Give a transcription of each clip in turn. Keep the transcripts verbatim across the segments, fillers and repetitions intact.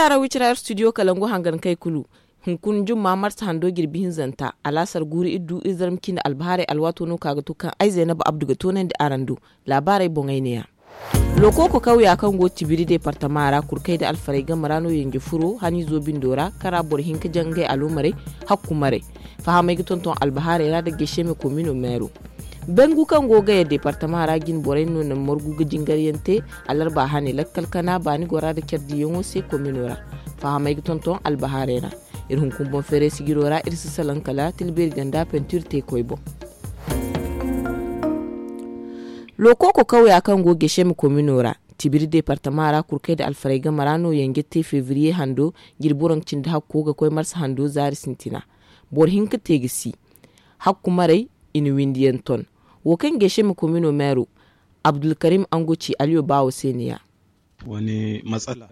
Arawi cira ir studio kalangu hangan kay kulu. Hunkuna jumma marsa hando jirbi hinzanta alaasar guuru ir du ir zarma cindi albahaarey alwaato no ka ga to kaŋ ay zaynaba abdu ga toonandi araŋ do. Laabaarey boŋey neeya. Lokooko kawya kaŋ go tibiri deepartama ra kurkey nda alfarey game ra no yanje furo haniizo bindo ra kara boro hinka jangay aloomarey. Hakkumarey. Fahamey ga tonton albahaarey ra nda geseme komino meero. Bengu kaŋ go gaya deepartama ra jine borey no naŋ margu ga jingaryaŋ te. Alarba hane lakkal kana baani gora nda care diiyaŋo se komino ra. Fahamey ga tonton albahaarey ra. Iri hunkuna boŋ feeray sijiro ra iri si salaŋ kala tilbeeri ganda pentir teekoy boŋ. Lokooko kawya kaŋ go geseme komino ra tibiri deepartama ra kurkey nda alfarey game ra no yanje te febriye hando. Jirbi waranka cindi hakko ga koy marsa hando zaari sintina. Boro hinka te ga si. Hakkumarey i na windiyaŋ ton. Wo kaŋ geseme komino meero abdulkarim angoci aliyo baawo se ne ya.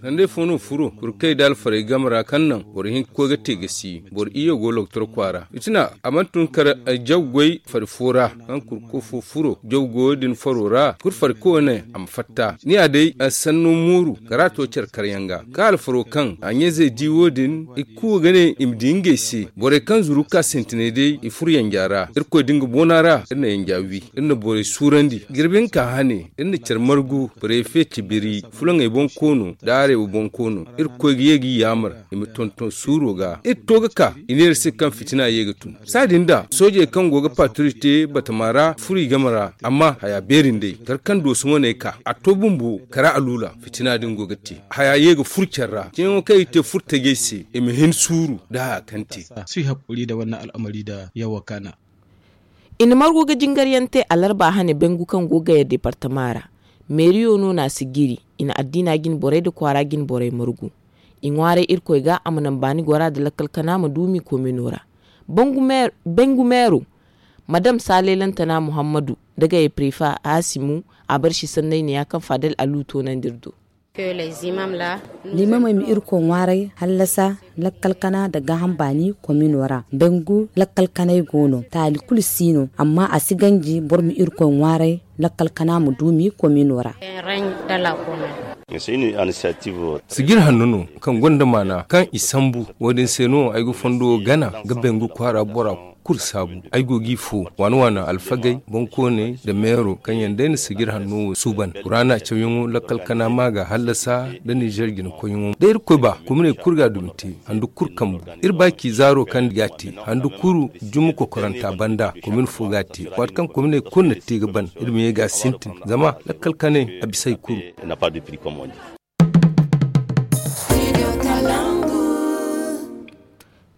Sandey fo no furo kurkey nda alfarey game ra kaŋ naŋ boro hinka koy ga te ga si boro iyye go loktor kwaara fitina a mana tun kar. Jaw goy fari fo ra kaŋ kurko fo furo jaw goyo din faro ra kulu fari koyne a ma fatta ni ya day sanno mooru kara to care karyaŋ ga ka alfaro kaŋ a ɲayzey di wo- din i kuuwa ga ne i ma di ngey se borey kaŋ zuru ka sintinay day i furo yanja ra irkoy da nga boona ra iri na yanja wi iri na borey suurandi jirbi hinka hane iri na care margu prefe cibiri fulaŋey boŋ koono nda areeba boŋ koono irkoy ga ye ga i yaamar i ma tonton suuro ga iri to ga ka i ne iri se kaŋ fitina ye ga tun saadin da soojey kaŋ go ga paturi te batama ra furo i game ra amma haya beeri nd'ey kala kaŋ dooso wane ka a to bumbo kara aluula fitina din go ga te haya ye ga furo care ra ceeyaŋo kaŋ i te furo tajey se i ma hin suuru nda haya kaŋ te. I na margu ga jingar yaŋ te alarba hane bengu kaŋ go gaya deepartama ra. Meeriyo no na si jiri i na addiina jine borey nda kwaara jine borey margu. I ŋwaaray irkoy ga a ma naŋ baani gora nda lakkal kana ma duumi komino ra. Bengu meero madam saalay lantana muhammadu nda gaya prefa haasimu a barsi sanney ne ya kaŋ faadal alu toonandi iri do. Liimamey ma irkoy ŋwaaray hallasa lakkal kana nda gaaham baani komino ra bengu lakkal kanay go no taali kulu si no amma a si ganji boro ma irkoy ŋwaaray lakkal kana ma duumi komino ra. Sijir hanno no kaŋ gonda maana kaŋ i sambu wo- din se no ay ga fondo gana ga bengu kwaara bora kulu saabu ay go g'i fo waana waana alfagey boŋkooney nda meero kaŋ yaŋ day na sijir hanno wo suuban kuraana cawyaŋo lakkal kana ma ga hallasa nda nizer jinakoyyaŋo da irkoy ba kominey kulu ga a dumi te handu kulu kambu iri ba ci zaaro kaŋ ga a te handu kulu juma kokoranta banda komin fo ga a te waati kaŋ kominey kulu na te ga ban iri ma ye ga a sintin zama lakkal kanay a bisa hari kulu.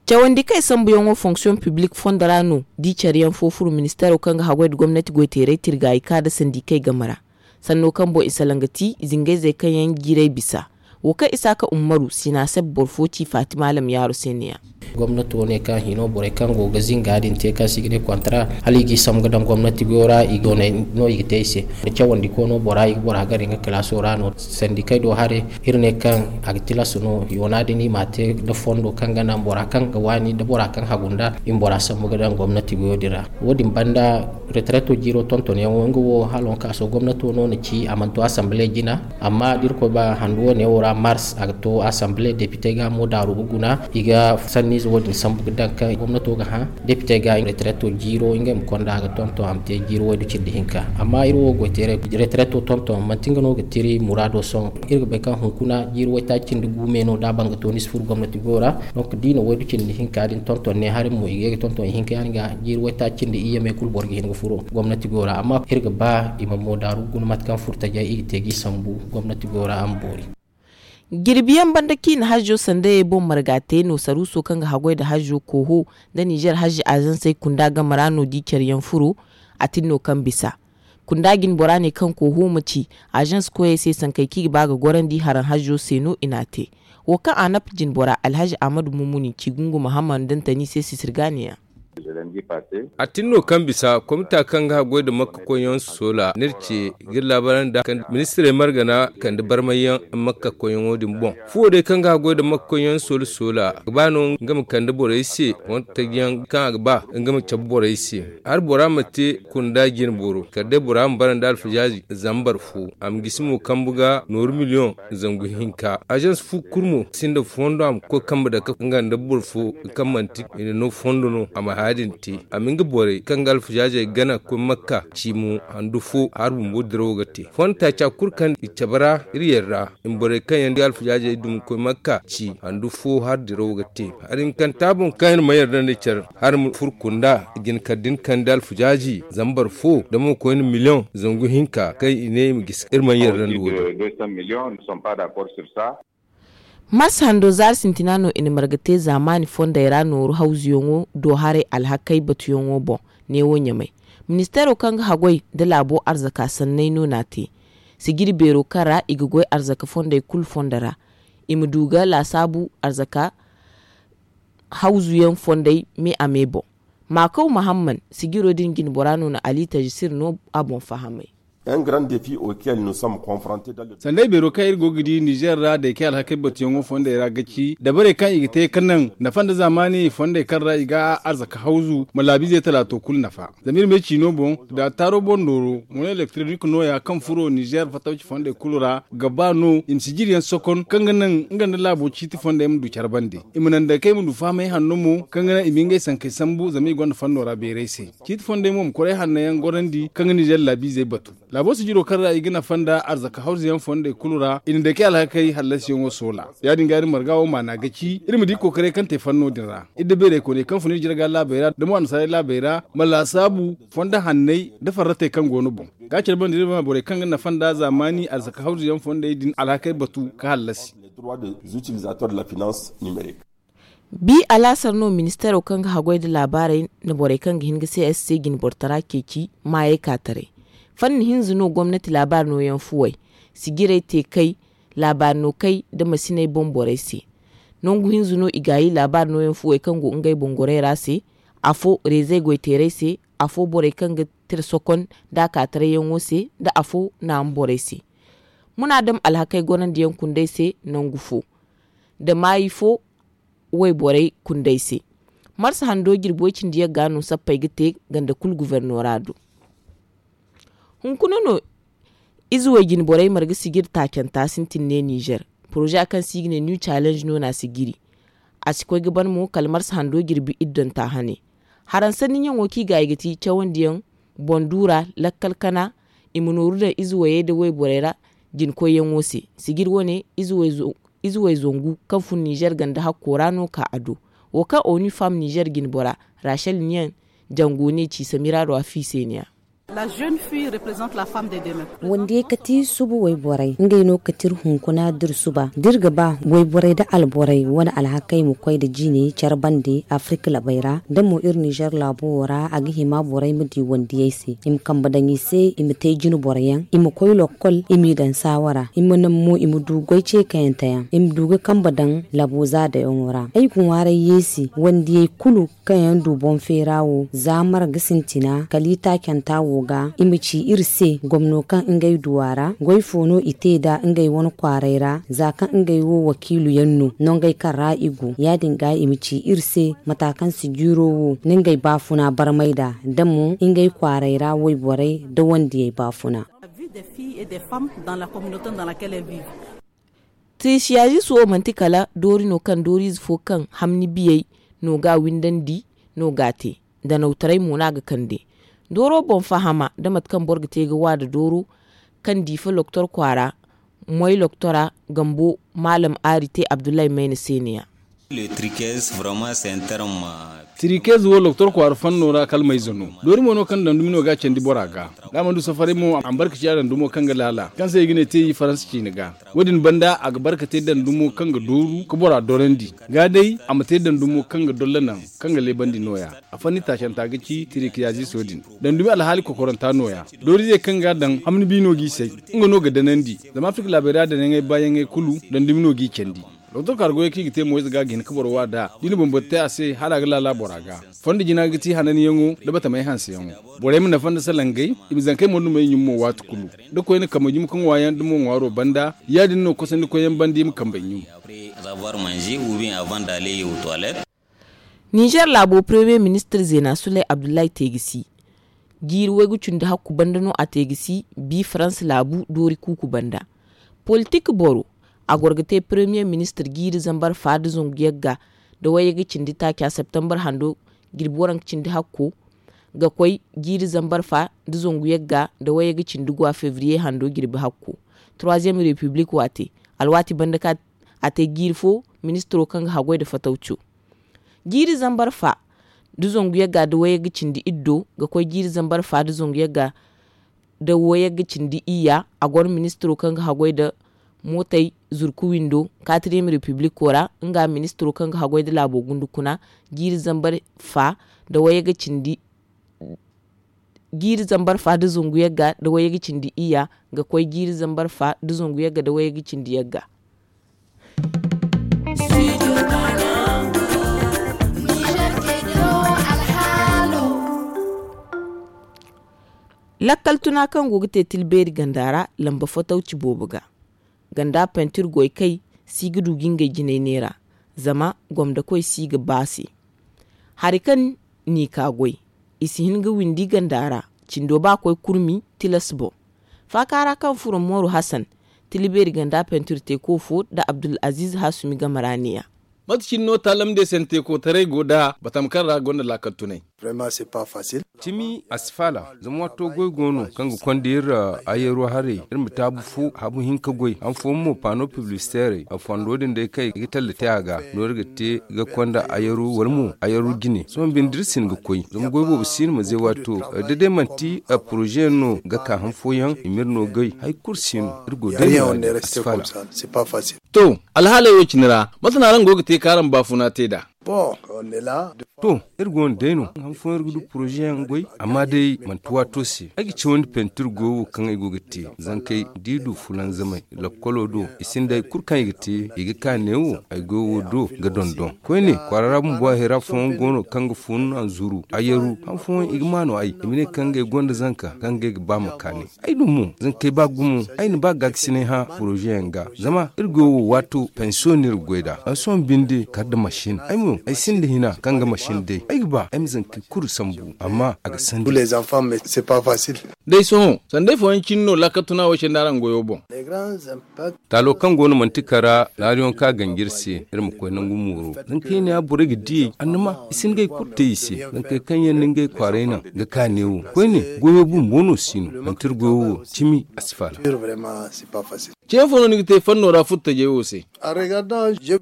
Cawandi kaŋ i sambuyaŋo fonction publique fondo ra no di care yaŋ fo furo ministeero kaŋ ga haggoy nda gomnati goyteeray tirga i ka nda sandikey game ra. Sanno kaŋ boŋ i salaŋ ga ti zingayzey kaŋ yaŋ jiiray bisa. Wo kaŋ isaaka ummaru sinaseb boro fo ci fatima alam yaaro se ne ya. Gomnati wo ne kaŋ hino borey kaŋ go ga zinga din te kaŋ si ga ne kontara hala i g'i sambu ga daŋ gomnati goyo ra i go ne no i ga te i se. Cawandi kono bora i ga bora gari nga kalaaso ra no sandikey do hare. Iri ne kaŋ a ga tilas no yoona din i ma a te nda fondo kaŋ ga naŋ bora kaŋ ga waani nda bora kaŋ hagu nda i ma bora sambu ga daŋ gomnati goyo din ra. Wo- din banda retreto jiiro tontonyaŋo nga wo hala waŋ kaaso gomnato no na ci a mana to asamble jina. Amma da irkoy ba handu wo- ne wo ra mars a ga to asamble depite ga mo daaru ga guna i ga sanniize wo- din sambu ga daŋ kaŋ gomnato ga hã. Depite ga retreto jiiro ngey ma konda a ga tonton a ma te jiiro waydu cindi hinka amma iri wo goyteeray retreto tonton manti nga no ga tiri muraado sohõ. Iri ga bay kaŋ hunkuna jiiri waytaaci cindi gu me no da a ban ga to ni si furo gomnati goyo ra. Donc da i na waydu cindi hinka din tonton ne hari mo i ga ye ga tonton ihinka yaŋ ga jiiri waytaaci cindi iyye me kulu boro ga hin ga furo gomnati goyo ra amma iri ga ba i ma mo daaru guna mate kaŋ furo tajey i ga te g'i sambu gomnati goyo ra a ma boori. Jirbi yaŋ banda ciina hajjo sandayey boŋ marga te no saruuso kaŋ ga haggoy nda hajjo kooho nda nizer hajji azansey kunda game ra no di care yaŋ furo. A tin no kaŋ bisa kunda jine bora ne kaŋ kooho ma ci azans koyey se sankey kaŋ i ga ba ga gorandi haraŋ hajjo se no i n'a te. Wo kaŋ a napp jine bora alhazi ahmadu mumuni ci gungu mahamman dantani se sisirga ne ya. A tin no kaŋ bisa komita kaŋ ga haggoy nda makka koyyaŋ soola n'iri ce ga iri laabaarandi da kaŋ ministirey margana kande barmayyaŋ makka koyyaŋo din boŋ. Fuwo day kaŋ ga haggoy nda makka koyyaŋ soola soola ga ba no nga ma kande borey se wala tajiyaŋ kaŋ a ga ba nga ma cabe borey se. Hari bora ma te kunda jine boro kala day bora ma bara nda alfajaaji zambar fo a ma gisi mo kambu ga nooru miliyoŋ zangu hinka. Azans fu kulu mo sinda fondo a ma koy kambe dake nga nda boro fo kaŋ manti i na no fondo no a ma haya din te. A ma nga borey kaŋ ga alfajaajey gana ga koy makka ci mo handu fo hari bumbo dirawo ga te fondo taaca kulu kaŋ i cabe ra iri yadda i ma borey kaŋ yaŋ ga alfajaajey dumi ga koy makka ci handu fo hari dirawo ga te. Hari hinkanta boŋ kaŋ iri ma yadda nda care hari ma furo kunda jina kala da ni kande alfajaaji zambar fo da mo koyne miliyoŋ zangu hinka kaŋ i ne i ma gisi iri mana yarda nda wo-din. Mars hando zaari sintina no i na marga te zaamaani fondey ra nooru hawzuyaŋo do haray alhakey batuyaŋo boŋ. Neewo ɲamay, ministeero kaŋ ga haggoy nda laabo arzaka sanney no n'a te. Sijiri beero kaŋ ra i ga goy arzaka fondey kulu fondo ra i ma du ga laasaabu arzaka hawzuyaŋ fondey me a me boŋ. Maakaw mahamman sijiro din jinbora no na ali tajisir no a boŋ fahamay. Sanday beero kaŋ iri go ga di nizer ra da i kay alhakey batuyaŋo fondey ra ga ci dabarey kaŋ i ga te ga naŋ nafa nda zaamaani fondey kaŋ ra i ga arzaka hawzu ma laabiizey talaato kulu nafa. Zama iri ma ay ciino boŋ da taaro boŋ nooro mono elektronik nooya kaŋ furo nizer fatawci fondey kulu ra ga ba no i ma sijiriyaŋ sokon kaŋ ga naŋ nga nda laabo ciiti fondey ma du care bande. I ma naŋ day kaŋ i ma du fahamay hanno mo kaŋ ga naŋ i ma ngey sankey sambu zama i gonda fanno ra beeray se. Ciiti fondey mo ma koray hanno yaŋ gorandi kaŋ ga nizer laabiizey batu. Laabo sijiro kaŋ ra i ga nafa nda arzaka hawzuyaŋ fondey kulu ra i na day kaŋ alhakey hallasiyaŋo soola. Ya- din ga iri marga wo maana ga ci iri ma di kookaray kaŋ te fanno din ra. Iri da beeraykooney kaŋ fun iri jirga laabey ra da mo annasaarey laabey ra ma laasaabu fondo hanney nda farratey kaŋ go no boŋ. Ga care banda iri ma borey kaŋ ga nafa nda zaamaani arzaka hawzuyaŋ fondey din alhakey batu ga hallasi. Bi alaasar no ministeero kaŋ ga haggoy nda laabaarey nda borey kaŋ ga hin ga c s c jinbortara ceeci maayey ka taray. Fanni hinza no gomnati laabaari nooyaŋ fuwey sijirey te kay laabaari no kay nda masiney boŋ borey se. Nangu hinza no i gaayi laabaari nooyaŋ fuwey kaŋ go ngey boŋ gorey ra se. Afo reezey goyteerey se, afo borey kaŋ ga tira sokon nda a ka tarayyaŋo se nda afo naama borey se. Munaadam alhakey gorandiyaŋ kundey se nangu fo nda maayi fo wayborey kundey se. Marsa hando jirbi way-cindi yagga no sappey ga te ganda kulu gufornora do. Hunkuna no ize way-jine borey marga sijiri taacanta sintin ne nizer. Poroza kaŋ se i ga ne new challenge no no a sijiri. A si koy ga ban mo kala marsa hando jirbi iddonta hane. Haransanni ɲaŋo kaŋ i ga i ga ti cawandiyaŋ boŋ du ra lakkal kana i ma nooru daŋ ize wayey nda wayborey ra. Jinkoyyaŋo se sijiri wane ize way zangu kaŋ fun nizer ganda hakko ra no ka a do. Wo kaŋ onu fam nizer jinbora rachel niyan jango ne ci samira do a fiiseniya. Wandiyey kati suba wayborey ngey no kati iri hunkuna da iri suba da iri ga ba wayborey da alborey wane alhakey ma koy nda jine care bande afirka labey ra da mo iri nizer laabo wo ra a ga hima borey ma di wandiyey se i ma kambe daŋ i se i ma te jinboroyaŋ i ma koy lokkol i m'i daŋ saawara i ma naŋ mo i ma du goy ceekayante yaŋ i ma du ga kambe daŋ labo zaadayaŋo ra ay ga ŋwaaray yeesi wandiyey kulu kaŋ yaŋ du boŋ feera wo za marga sintina kala itaacanta wo ga i ma ci iri se gomno kaŋ ngey du a ra goy fo no i te nd'a ngey wane kwaaray ra za kaŋ ngey wo wakiilu yaŋ no nongey kaŋ ra i go ya- din ga i ma ci iri se mata kaŋ si jiiro wo nda ngey baafuna barmay nd'a da mo ngey kwaaray ra wayborey nda wandiyey baafuna. Tisiyaziso manti kala doori no kaŋ dooriize fo kaŋ hamni biyey no ga a windandi no ga a te. Danawtaray mo no a ga kande dooro boŋ fahama nda mate kaŋ boro ga te ga wa nda dooro kaŋ diifa loktor kwaara moy loktora gambo maalam aari te abdullahi mayna se ne ya. Tirikez wo loktor kwaara fanno ra kala mayze no doori mo no kaŋ dandumi no ga a candi bora ga da a mana du safaray mo a ma barka ciya dandumo kaŋ ga laala kaŋ se i ga ne te i faransa ciine ga. Wo- din banda a ga barka te dandumo kaŋ ga dooru ga bora dorandi ga day a ma te dandumo kaŋ ga dolla naŋ kaŋ ga leebandi no- ya. A fanni taacanta ga ci tirikiyaziso din dandumi alhaali kokoranta no- ya. Dooriizey kaŋ ga a daŋ hamni bi no g'i say nga no ga danandi zama afirka laabey ra danayaŋey baayaŋey kulu dandumi no g'i candi. Doktor kaara goyey kaŋ i ga te mo ize ga a ga hin ka boro wa nd'a da i na bambata te a se hala a ga laala bora ga. Fondo jina ga ti hananyaŋo nda batamey hanseyaŋo. Borey ma nafa nda salangey, i ma zankey mo dumey ɲum mo waati kulu. Da koyne kambe ɲum ka ŋwa yaŋ da mo ŋwaaro banda, ya- din no kosandikoyyaŋ banda i ma kambey ɲum. Ninzeer laabo paremiye ministir zeena suley abdullahi te ga si. Jiiri waygu cindi hakku banda no a te ga si bi farans laabu doori kuuku banda. Politik boro, a goro ga te paremiye ministir jiiri zambar fa nda zangu yagga nda wayyaga cindi taaca septembar hando, jirbi waranka cindi hakko ga koy jiiri zambar fa nda zangu yagga nda wayyaga cindi gwa febriye hando jirbi hakko. Troisième république waate, alwaati banda ka a te jiiri fo, ministiro kaŋ ga haggoy nda fatawco. Jiiri zambar fa nda zangu yagga nda wayyaga cindi iddo ga koy jiiri zambar fa nda zangu yagga nda wayyaga cindi iyya. A goro ministiro kaŋ ga haggoy nda mootey zurku windo, quatrième république ra nga ministiro kaŋ ga haggoy nda laabo gundu kuna. Jiiri zambar fa nda wayyaga cindi jiiri zambar fa nda zangu yagga nda wayyaga cindi iyya ga koy jiiri zambar fa nda zangu yagga nda wayyaga cindi yagga. Lakkal tuna kaŋ go ga te tilbeeri ganda ra lamba fatawci boobo ga. Ganda pentir goy kay si ga du ga ngey jinay neera, zama gomda koy si ga ba se. Hari kaŋ n'i ka goy, i si hin ga windi ganda ra. Cindo ba koy kurmi tilas boŋ. Faaka ra kaŋ furo mooru hasan, tilibeeri ganda pentir teeko fo nda abdul aziiz hasumi game ra ne-ya. Mate cine no taalam de sante kootaray go nd'a batam kaŋ ra gonda laakal tunay. Cimi a si faala, zama waato goy go no kaŋ ga konda iri ayyaru haray, iri ma taabu fo habu hinka goy han fooyaŋ mo paano piblisiteerey a fondo din day kaŋ i ga talla te a ga no iri ga te ga konda ayyaru wala mo ayyaru jine sohõ binde iri si hin ga koy zama goy boobo si no ma zay waato. Da day manti poroze yaŋ no ga ka han fooyaŋ i ma iri no goy hari kulu si no. Iri go day no a si faala. To, alhaaley wo- cine ra, mate no araŋ go ga te ka araŋ baafuna te nd'a? To, iri go no day no han fooyaŋ iri ga du poroze yaŋ goy, amma day manti waato se. Ay ga cawandi pentir goyo wo kaŋ ay go ga te zankey da i du fulanzamay lakkolo do, i sinda hari kulu kaŋ i ga te. I ga ka neewo ay goyo wo do ga dondon koyne kwaara ra bumbo hayra fooyaŋ go no kaŋ ga fun anzuru ayyaru han fooyaŋ i ga ma no ay i ma ne kaŋ ngey gonda zanka kaŋ ngey ga ba ma ka ne. Ay du mo zankey ba gumo. Ay na ba gaakasinay hã poroze yaŋ ga zama iri goyo wo waato pensiyo no iri ga goy nd'a. Ay sohõ binde kala nda masin ay mo ay sinda hina kaŋ ga masin day ay ga ba ay ma zankey kulu sambu amma a ga sandi. Day sohõ sanday fooyaŋ cine no laakal tuna wo se nda araŋ goyo boŋ. Taalo kaŋ go no manti kara naariyaŋ kaŋ a ganji iri se iri ma koy nangu mooro. Zankey ne ya borey ga diyey annama i si hin ga hari kulu te i se. Zankey kaŋ yaŋ na ngey kwaaray naŋ ga ka neewo koyne goyo bumbo no si no manti iri goyo wo cimi a si faala. Ce fo no ni ga te fanno ra furtajey wo se?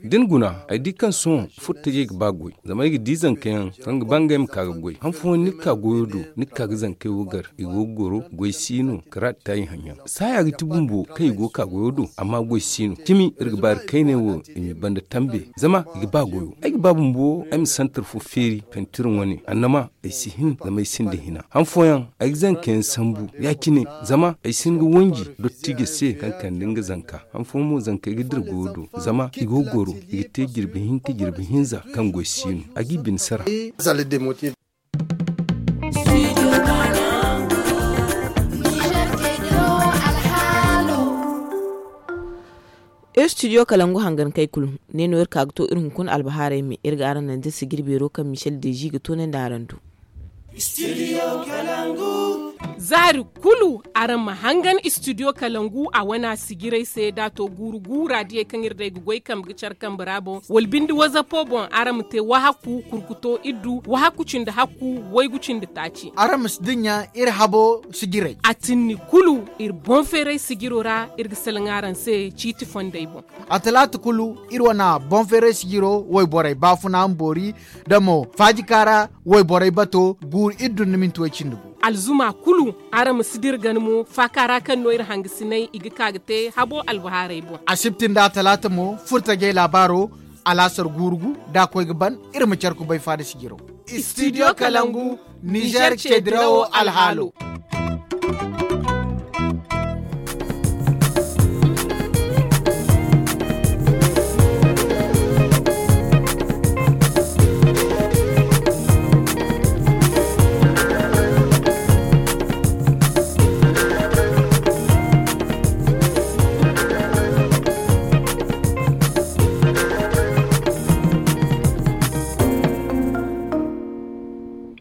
Da ni guna ay di kaŋ sohõ furtajey ga ba goy zama ay ga di zanka yaŋ kaŋ ga ba ngey ma ka ga goy han fooyaŋ ni ga ka goyo do ni ga ka ga zankey wo gar i go ga goro goy si no karaati taayi haŋ yaŋ saaya ga ti bumbo kaŋ i go ga ka goyo do amma goy si no cimi iri ga ba iri kayney wo i ma banda tambe zama i ga ba goyo ay ga ba bumbo ay ma santar fo feeri pentir wane annama ay si hin zama ay sinda hina han fooyaŋ ay ga zanka yaŋ sambu ya- cine zama ay si hin ga wanji dottijo se kaŋ kande nga zanka han fooyaŋ mo zankey ga dira goyo do zama i go ga goro i ga te jirbi hinka jirbi hinza kaŋ goy si no a g'i bine sara. Studio kalangu hangankey kulu ne no iri ka ga to iri hunkuna albahaarey me iri ga araŋ naŋ da sijir beero kaŋ michel deji ga toonandi araŋ do. Zaari kulu araŋ ma hangan studio kalangu a wana sijirey se da a to guuru guura diyey kaŋ iri day ga goy kambe ga care kambe ra boŋ wala binde wazapo boŋ araŋ ma te wahakku kurkuto iddu wahakku cindi hakku waygu cindi taaci. Araŋ ma si dinya iri habo sijirey a tinni kulu iri boŋ feeray sijiro ra iri ga salaŋ araŋ se ciiti fondey boŋ. A talaata kulu iri wana boŋ feeray sijiro wayborey baafuna ma boori da mo faajikaara wayborey bato guuru iddu nda minti way cindi gu. Alzuma kulu araŋ ma si dira gana mo faaka ra kaŋ no iri hangasiney i ga ka ga te habo albahaarey boŋ. Asibti nda talaata mo furtajey laabaaro alaasar guuru gu da a koy ga ban iri ma care kubay faada sijiro. Studio kalangu nizer cedirawo alhaalo.